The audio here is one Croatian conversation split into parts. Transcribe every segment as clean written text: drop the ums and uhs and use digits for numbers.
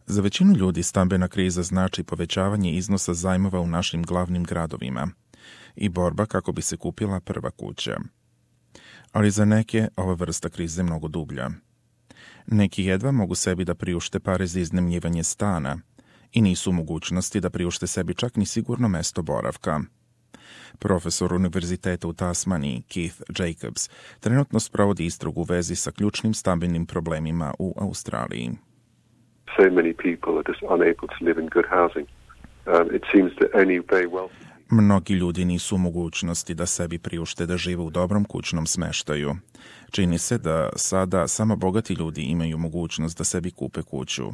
Za većinu ljudi stambena kriza znači povećavanje iznosa zajmova u našim glavnim gradovima i borba kako bi se kupila prva kuća. Ali za neke ova vrsta krize je mnogo dublja. Neki jedva mogu sebi da priušte pare za iznajmljivanje stana i nisu u mogućnosti da priušte sebi čak ni sigurno mesto boravka. Profesor univerziteta u Tasmaniji, Keith Jacobs, trenutno sprovodi istragu u vezi sa ključnim stambenim problemima u Australiji. So many people are just unable to live in good housing. It seems that only very wealthy. Mnogi ljudi nisu u mogućnosti da sebi priušte da žive u dobrom kućnom smeštaju. Čini se da sada samo bogati ljudi imaju mogućnost da sebi kupe kuću.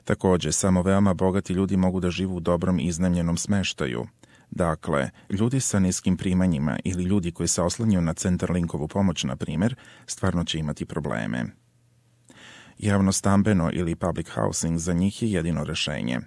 Također, samo veoma bogati ljudi mogu da žive u dobrom iznajmljenom smeštaju. Dakle, ljudi sa niskim primanjima ili ljudi koji se oslanjaju na Centrelink-ovu pomoć, na primjer, stvarno će imati probleme. Javno stambeno ili public housing za njih je jedino rešenje.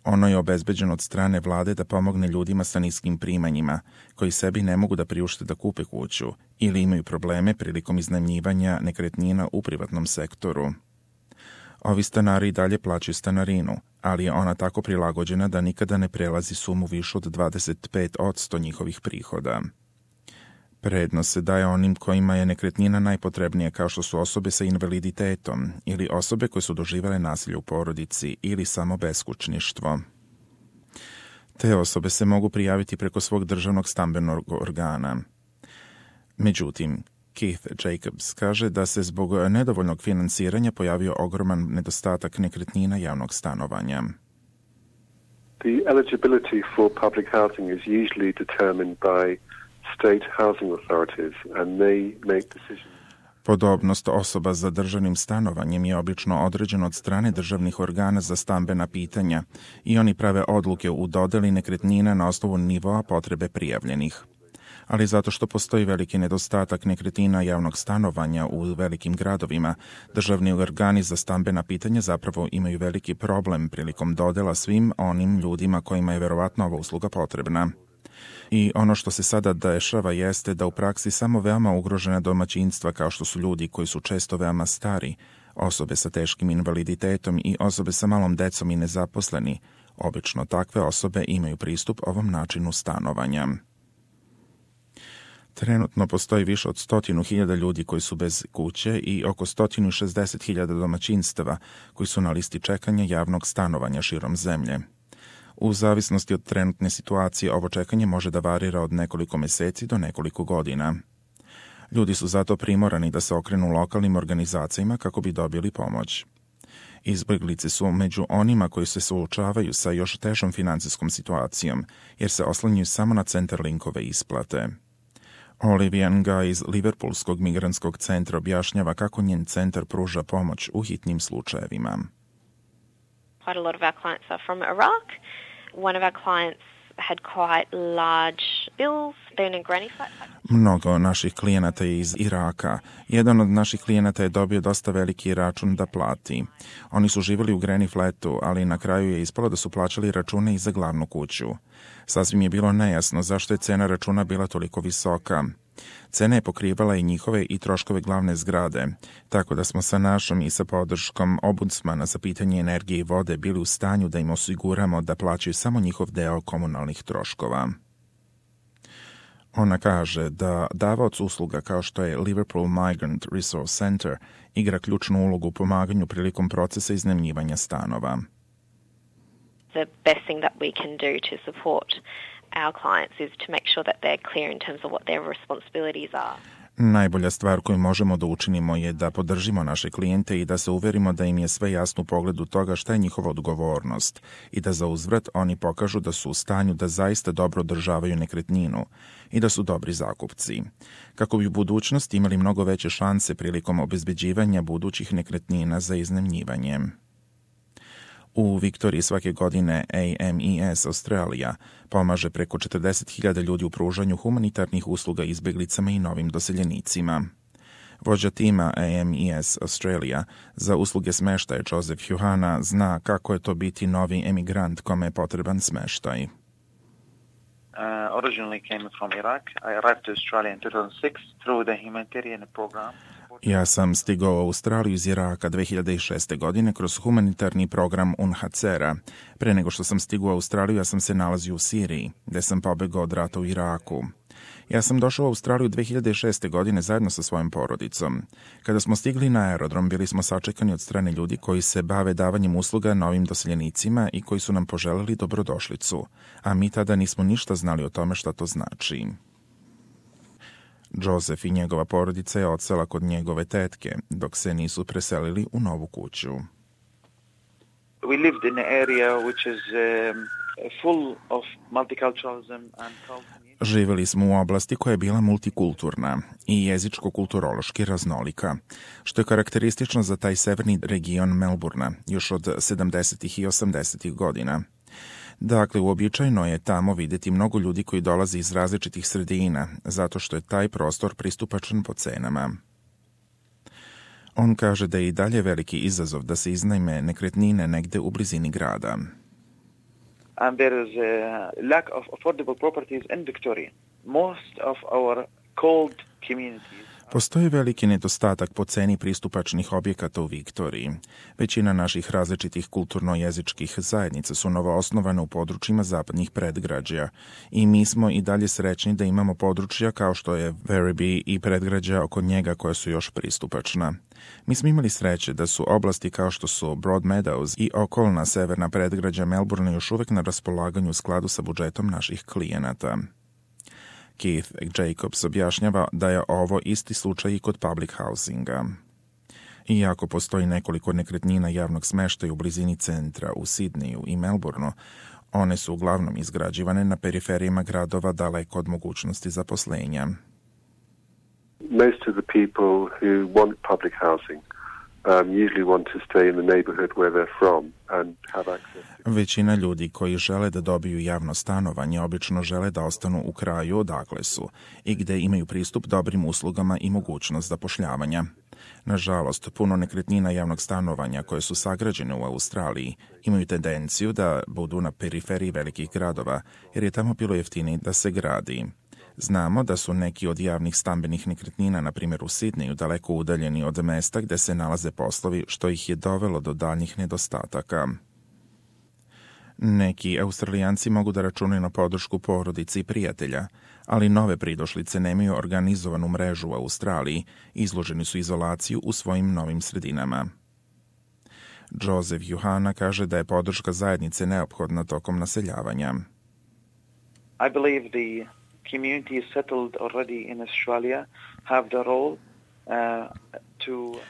Ono je obezbeđeno od strane vlade da pomogne ljudima sa niskim primanjima, koji sebi ne mogu da priušte da kupe kuću ili imaju probleme prilikom iznajmljivanja nekretnina u privatnom sektoru. Ovi stanari i dalje plaćaju stanarinu, ali je ona tako prilagođena da nikada ne prelazi sumu višu od 25% njihovih prihoda. Prednost se daje onim kojima je nekretnina najpotrebnija, kao što su osobe sa invaliditetom ili osobe koje su doživjele nasilje u porodici ili samo beskućništvo. Te osobe se mogu prijaviti preko svog državnog stambenog organa. Međutim, Keith Jacobs kaže da se zbog nedovoljnog finansiranja pojavio ogroman nedostatak nekretnina javnog stanovanja. The eligibility for public housing is usually determined by state housing authorities and they make decisions. Podobnost osoba za državnim stanovanjem je obično određena od strane državnih organa za stambena pitanja i oni prave odluke u dodeli nekretnina na osnovu nivoa potrebe prijavljenih. Ali zato što postoji veliki nedostatak nekretnina javnog stanovanja u velikim gradovima, državni organi za stambena pitanja zapravo imaju veliki problem prilikom dodela svim onim ljudima kojima je verovatno ova usluga potrebna. I ono što se sada dešava jeste da u praksi samo veoma ugrožena domaćinstva, kao što su ljudi koji su često veoma stari, osobe sa teškim invaliditetom i osobe sa malom decom i nezaposleni, obično takve osobe imaju pristup ovom načinu stanovanja. Trenutno postoji više od 100.000 ljudi koji su bez kuće i oko 160.000 domaćinstava koji su na listi čekanja javnog stanovanja širom zemlje. U zavisnosti od trenutne situacije, ovo čekanje može da varira od nekoliko meseci do nekoliko godina. Ljudi su zato primorani da se okrenu lokalnim organizacijama kako bi dobili pomoć. Izbjeglice su među onima koji se suočavaju sa još težom financijskom situacijom, jer se oslanjaju samo na Centrelinkove isplate. Olivia Nga iz Liverpoolskog migrantskog centra objašnjava kako njen centar pruža pomoć u hitnim slučajevima. Quite a lot of our clients are from Iraq. One of our clients had quite large bills, being in granny flat. Mnogo naših klijenata je iz Iraka. Jedan od naših klijenata je dobio dosta veliki račun da plati. Oni su živjeli u granny flatu, ali na kraju je ispalo da su plaćali račune i za glavnu kuću. Sasvim je bilo nejasno zašto je cena računa bila toliko visoka. Cena je pokrivala i njihove i troškove glavne zgrade, tako da smo sa našom i sa podrškom ombudsmana za pitanje energije i vode bili u stanju da im osiguramo da plaćaju samo njihov deo komunalnih troškova. Ona kaže da davaoc usluga kao što je Liverpool Migrant Resource Center igra ključnu ulogu u pomaganju prilikom procesa iznajmljivanja stanova. The best thing that we can do to support our clients is to make sure that they're clear in terms of what their responsibilities are. Najbolja stvar koju možemo da učinimo je da podržimo naše klijente i da se uverimo da im je sve jasno u pogledu toga šta je njihova odgovornost i da za uzvrat oni pokažu da su u stanju da zaista dobro održavaju nekretninu i da su dobri zakupci, kako bi u budućnosti imali mnogo veće šanse prilikom obezbeđivanja budućih nekretnina za iznajmljivanje. U Viktoriji svake godine AMES Australija pomaže preko 40.000 ljudi u pružanju humanitarnih usluga izbjeglicama i novim doseljenicima. Vođa tima AMES Australia za usluge smeštaja Joseph Huhana zna kako je to biti novi emigrant kome je potreban smeštaj. Originally came from Iraq. I arrived to Australia in 2006 through the humanitarian program. Ja sam stigao u Australiju iz Iraka 2006. godine kroz humanitarni program UNHCR-a. Pre nego što sam stigao u Australiju, ja sam se nalazio u Siriji, gde sam pobegao od rata u Iraku. Ja sam došao u Australiju 2006. godine zajedno sa svojom porodicom. Kada smo stigli na aerodrom, bili smo sačekani od strane ljudi koji se bave davanjem usluga novim doseljenicima i koji su nam poželeli dobrodošlicu, a mi tada nismo ništa znali o tome šta to znači. Joseph i njegova porodica je odsela kod njegove tetke, dok se nisu preselili u novu kuću. We lived in an area which is full of multiculturalism and culture. Živjeli smo u oblasti koja je bila multikulturna i jezičko-kulturološki raznolika, što je karakteristično za taj severni region Melbourna još od 70. i 80. godina. Dakle, uobičajeno je tamo vidjeti mnogo ljudi koji dolaze iz različitih sredina, zato što je taj prostor pristupačan po cenama. On kaže da je i dalje veliki izazov da se iznajme nekretnine negde u blizini grada. And there is a lack of affordable properties in Victoria. Most of our cold communities. Postoji veliki nedostatak po ceni pristupačnih objekata u Viktoriji. Većina naših različitih kulturno-jezičkih zajednica su novoosnovane u područjima zapadnih predgrađa i mi smo i dalje srećni da imamo područja kao što je Werribee i predgrađa oko njega koja su još pristupačna. Mi smo imali sreće da su oblasti kao što su Broadmeadows i okolna severna predgrađa Melbourna još uvek na raspolaganju u skladu sa budžetom naših klijenata. Keith Jacobs objašnjava da je ovo isti slučaj i kod public housinga. Iako postoji nekoliko nekretnina javnog smještaja u blizini centra u Sidneju i Melbourneu, one su uglavnom izgrađivane na periferijama gradova daleko od mogućnosti zaposlenja. Most of the people who want public housing usually want to stay in the neighborhood where they're from and have access to... Većina ljudi koji žele da dobiju javno stanovanje obično žele da ostanu u kraju odakle su i gde imaju pristup dobrim uslugama i mogućnost zapošljavanja. Nažalost, puno nekretnina javnog stanovanja koje su sagrađene u Australiji imaju tendenciju da budu na periferiji velikih gradova, jer je tamo bilo jeftinije da se gradi. Znamo da su neki od javnih stambenih nekretnina, na primjer u Sidneju, daleko udaljeni od mesta gde se nalaze poslovi, što ih je dovelo do daljnjih nedostataka. Neki Australijanci mogu da računaju na podršku porodici i prijatelja, ali nove pridošlice nemaju organizovanu mrežu u Australiji i izloženi su izolaciju u svojim novim sredinama. Joseph Juhana kaže da je podrška zajednice neophodna tokom naseljavanja. I believe the communities settled already in Australia have the role to...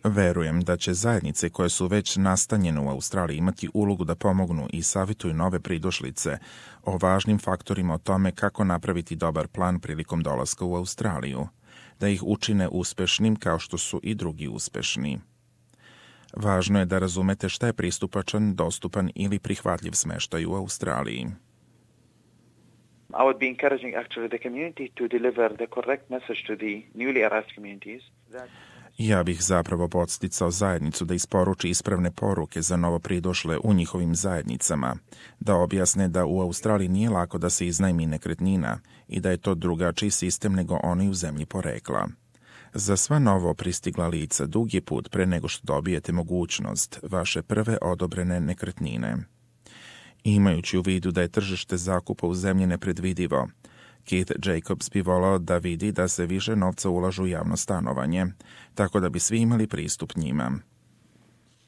Verujem da će zajednice koje su već nastanjene u Australiji imati ulogu da pomognu i savjetuju nove pridošlice o važnim faktorima o tome kako napraviti dobar plan prilikom dolaska u Australiju, da ih učine uspešnim kao što su i drugi uspešni. Važno je da razumete šta je pristupačan, dostupan ili prihvatljiv smeštaj u Australiji. I would be encouraging actually the community to deliver the correct message to the newly arrived communities. Ja bih zapravo podsticao zajednicu da isporuči ispravne poruke za novo pridošle u njihovim zajednicama, da objasne da u Australiji nije lako da se iznajmi nekretnina i da je to drugačiji sistem nego onaj u zemlji porekla. Za sva novo pristigla lica dug je put pre nego što dobijete mogućnost vaše prve odobrene nekretnine. Imajući u vidu da je tržište zakupa u zemlji nepredvidivo, Keith Jacobs bi volao da vidi da se više novca ulažu u javno stanovanje, tako da bi svi imali pristup njima.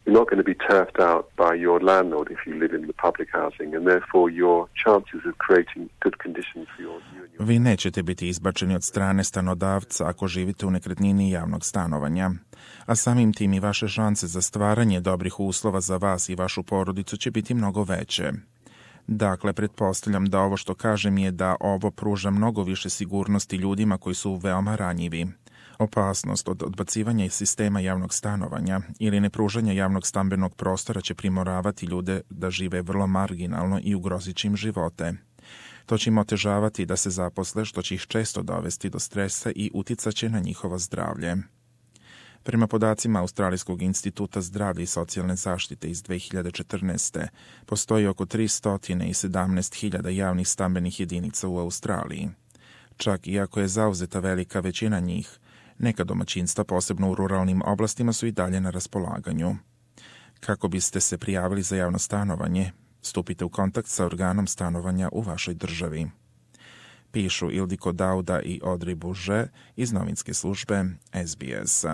You're not going to be turfed out by your landlord if you live in the public housing, and therefore your chances of creating good conditions for you and your... Vi nećete biti izbačeni od strane stanodavca ako živite u nekretnini javnog stanovanja, a samim tim i vaše šanse za stvaranje dobrih uslova za vas i vašu porodicu će biti mnogo veće. Dakle, pretpostavljam da ovo što kažem je da ovo pruža mnogo više sigurnosti ljudima koji su veoma ranjivi. Opasnost od odbacivanja iz sistema javnog stanovanja ili nepružanja javnog stambenog prostora će primoravati ljude da žive vrlo marginalno i ugrozit će im živote. To će im otežavati da se zaposle, što će ih često dovesti do stresa i uticaće na njihovo zdravlje. Prema podacima Australijskog instituta zdravlja i socijalne zaštite iz 2014. postoji oko 317.000 javnih stambenih jedinica u Australiji. Čak iako je zauzeta velika većina njih, Neka domaćinstva, posebno u ruralnim oblastima, su i dalje na raspolaganju. Kako biste se prijavili za javno stanovanje, stupite u kontakt sa organom stanovanja u vašoj državi. Pišu Ildiko Dauda i Audrey Bourget iz novinske službe SBS.